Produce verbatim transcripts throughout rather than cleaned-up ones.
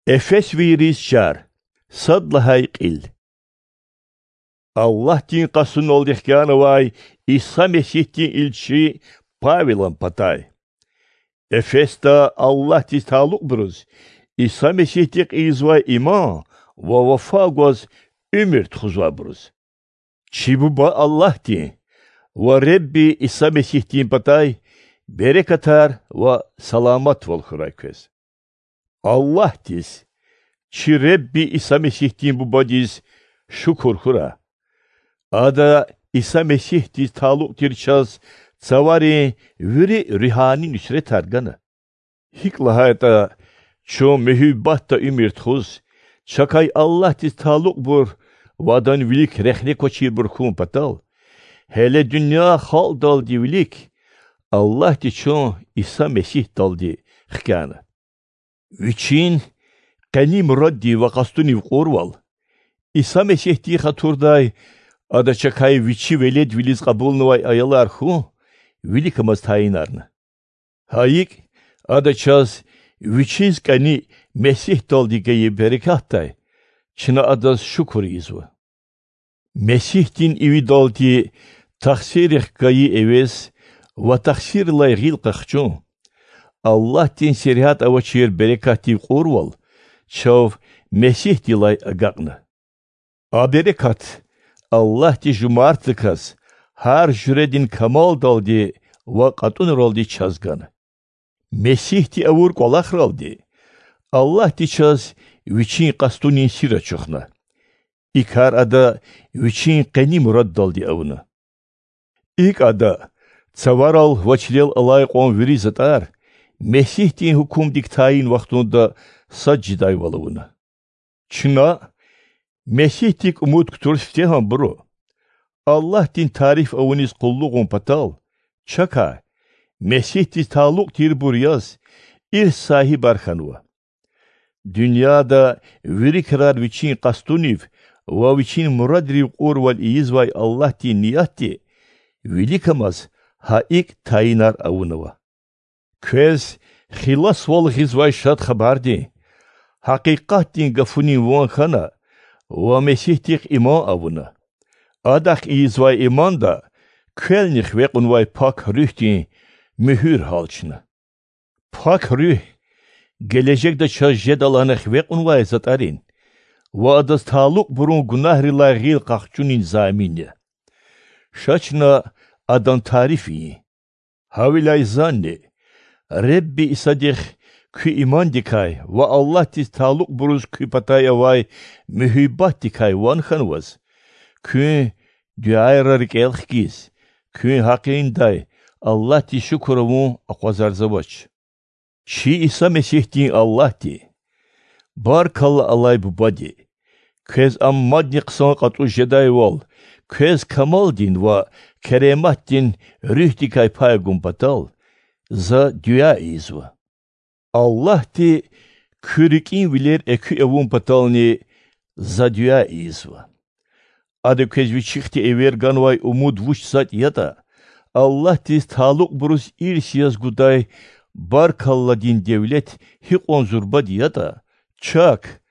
Эфесвийриз чар. Сад лагьай кьил. Аллагьдин къастуналди хкянавай Иса Месигьдин илчи Павелан патай. Эфесда Аллагьдиз талукьбуруз, Иса Месигьдихъ ийизвай иман ва вафа гваз уьмуьр тухузвайбуруз. Чи Буба Аллагьдин ва Ребби Иса Месигьдин патай берекатар ва саламатвал хьурай квез. Аллагьдиз, чи Ребби Иса Месигьдин Бубадиз шукур хьурай. Ада Иса Месигьдиз талукь тир чаз цаварин вири руьгьани нуьсретар гана. ГьикӀ лагьайтӀа, чун муьгьуьббатда уьмуьр тухуз, чакай Аллагьдиз талукьбур ва Адан вилик рехне квачирбур хьун патал, гьеле дуьнья халкьдалди вилик Аллагьди чун Иса Месигьдалди хкяна. Вичин къени мураддив ва къастунив кьурвал, Иса Месигьдин хатурдай Ада чакай Вичи веледвилиз кьабулнавай аялар хьун виликамаз тайинарна. Гьа икӀ, Ада чаз Вичиз кӀани Месигьдалди гайи берекатдай чна Адаз шукур ийизва. Месигьдин ивидалди тахсиррихъ гайи эвез ва тахсиррилай гъил къахчун, Аллагьдин сергьят авачир берекатдив кьурвал чав Месигьдилай агакьна. А берекат Аллагьди жумартдаказ гьар жуьредин камалдалди ва кьатӀунралди чаз гана. Месигьди авур кӀвалахралди Аллагьди чаз Вичин къастунин сир ачухна. И кар Ада Вичин къени мураддалди авуна. ИкӀ Ада цаварал ва чилел алай кьван вири затӀар Месигьдин гьукумдик тайин вахтунда сад жедайвал авуна. Чна, Месигьдик умуд кутур сифтегьанбуру, Аллагьдин тариф авуниз къуллугъун патал, чакай, Месигьдиз талукь тирбур яз, ирс сагьибар хьанва. Дуьньяда вири крар Вичин къастунив ва Вичин мурадрив кьурвал ийизвай Аллагьдин ниятди виликамаз гьа икӀ тайинар авунва. Квез хиласвал гъизвай Шад Хабардин, гьакъикъатдин гафунин ван хьана ва Месигьдихъ иман авуна. Адахъ ийизвай иманда квелни хиве кьунвай Пак Руьгьдин муьгьуьр гьалчна. Пак Руьгь гележегда чаз жеда лагьана хиве кьунвай затӀарин ва адаз талукьбурун гунагьрилай гъил къахчунин замин я. Ша чна Адан тариф ийин. Гьавиляй зани, Ребби Исадихъ куь имандикай ва Аллагьдиз талукьбуруз куь патай авай муьгьуьббатдикай ван хьанваз, куьн дуьайра рикӀел хкиз, куьн гьакъиндай Аллагьдиз шукур авун акъвазарзавач. Чи Иса Месигьдин Аллагьди, баркалла алай Бубади, квез Ам мадни хъсан кьатӀуз жедайвал, квез камалдин ва керематдин Руьгьдикай пай гун патал, за дуьа ийизва. Аллагьди куь рикӀин вилер экуь авун патални за дуьа ийизва. Ада квез вичихъди эвер ганвай умуд вуч затӀ ятӀа, Аллагьдиз талукьбуруз ирс яз гудай баркалладин девлет гьикьван зурбади ятӀа, чак,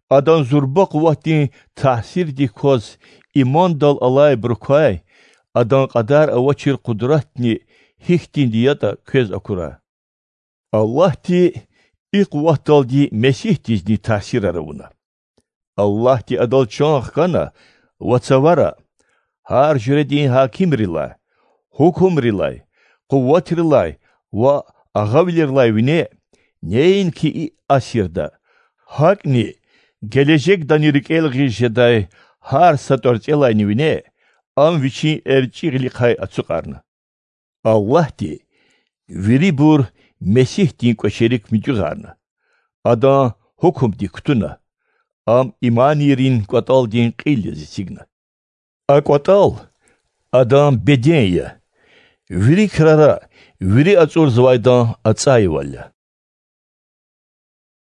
Адан зурба къуватдин таъсирдик кваз имандал алайбурукай Адан кьадар авачир къудратни гьихьтинди ятӀа квез акурай. Аллагьди и къуватдалди Месигьдизни таъсирар авуна. Аллагьди Адал чан хкана ва цавара, гьар жуьредин гьакимрилай, гьукумрилай, къуватрилай ва агъавилерилай вине, неинки и асирда, гьакӀни гележегдани рикӀел гъиз жедай гьар са тӀварцӀелайни вине, Ам Вичин эрчӀи гъилихъай ацукьарна. Аллагьди вирибур Месигьдин кӀвачерик муьтӀуьгъарна, Адан гьукумдик кутуна, Ам иманийрин кӀватӀалдин кьил яз эцигна. А кӀватӀал Адан беден я, вири крара вири ацӀурзавайдан ацӀайвал я.